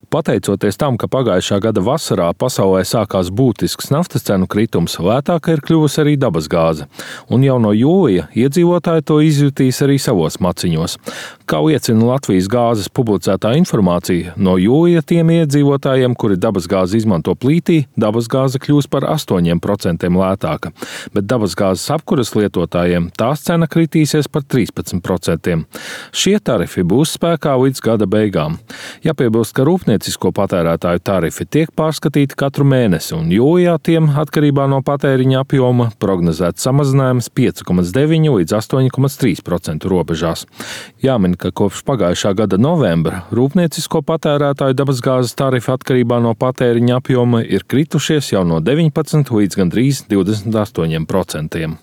Pateicoties tam, ka pagājušā gada vasarā pasaulē sākās būtisks naftas cenu kritums, lētāka ir kļuvusi arī dabasgāze, un jau no jūlija iedzīvotāji to izjutīs arī savos maciņos. Kā liecina Latvijas gāzes publicētā informācija, no jūlija tiem iedzīvotājiem, kuri dabasgāzi izmanto plītī, dabasgāze kļūs par 8% lētāka, bet dabasgāzes apkuras lietotājiem tās cena kritīsies par 13%. Šie tarifi būs spēkā līdz gada beigām. Jāpiebilst, ka rūpniecisko patērētāju tarifi tiek pārskatīti katru mēnesi, un jūlijā tiem, atkarībā no patēriņa apjoma, prognozēts samazinājums 5,9 līdz 8,3% robežās. Jāmin, ka kopš pagājušā gada novembra rūpniecisko patērētāju dabasgāzes tarifi atkarībā no patēriņa apjoma ir kritušies jau no 19 līdz gandrīz 28%.